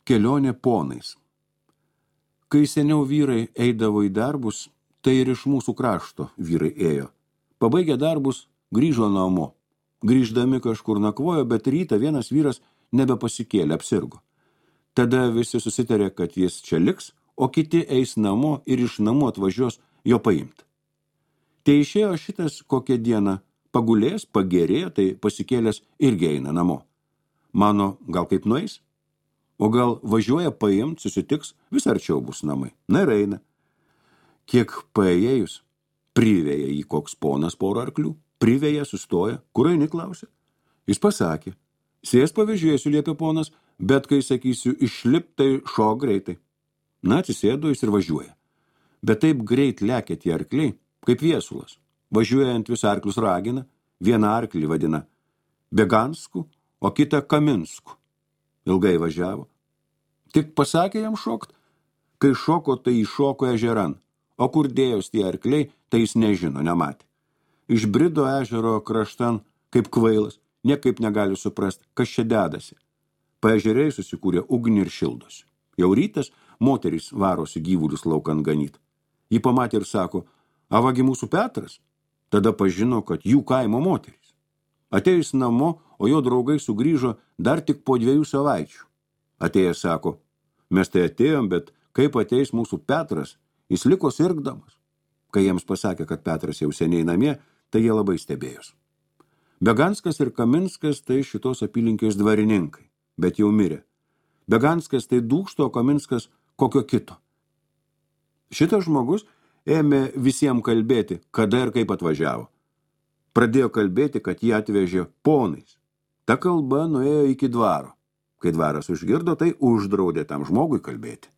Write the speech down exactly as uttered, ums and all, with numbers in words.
Kelionė ponais. Kai seniau vyrai eidavo į darbus, tai ir iš mūsų krašto vyrai ėjo. Pabaigę darbus, grįžo namo. Grįždami kažkur nakvojo, bet rytą vienas vyras nebepasikėlė, apsirgo. Tada visi susitarė, kad jis čia liks, o kiti eis namo ir iš namų atvažiuos jo paimti. Tai išėjo šitas kokią dieną, pagulės, pagerėjo, tai pasikėlęs irgi eina namo. Mano, gal kaip nueis? O gal važiuoja paimt, susitiks, vis arčiau bus namai. Na ir eina. Kiek paėjėjus, privėja jį koks ponas porą arklių, privėja, sustoja, kur eini, klausė. Jis pasakė, sės pavežėsiu, liepė ponas, bet kai sakysiu išlip, tai šok greitai. Na, atsisėdo jis ir važiuoja. Bet taip greit lekia tie arkliai, kaip viesulas. Važiuojant vis arklius ragina, vieną arklį vadina Begansku, o kitą Kaminsku. Ilgai važiavo. Tik pasakė jam šokt, kai šoko, tai iššoko ežeran, o kur dėjos tie arkliai, tai jis nežino, nematė. Išbrido ežero kraštan, kaip kvailas, niekaip negali suprast, kas čia dedasi. Paežeriai susikūrė ugnį ir šildosi. Jau rytas moterys varosi gyvulius laukan ganyt. Ji pamatė ir sako, avagi mūsų Petras, tada pažino, kad jų kaimo moterys. Atėjus namo, o jo draugai sugrįžo dar tik po dviejų savaičių. Atėjęs sako, mes tai atėjom, bet kaip ateis mūsų Petras, jis liko sirgdamas. Kai jiems pasakė, kad Petras jau seniai namie, tai jie labai stebėjos. Beganskas ir Kaminskas tai šitos apylinkės dvarininkai, bet jau mirė. Beganskas tai dūkšto, o Kaminskas kokio kito. Šitas žmogus ėmė visiems kalbėti, kada ir kaip atvažiavo. Pradėjo kalbėti, kad jį atvežė ponais. Ta kalba nuėjo iki dvaro. Kai dvaras užgirdo, tai uždraudė tam žmogui kalbėti.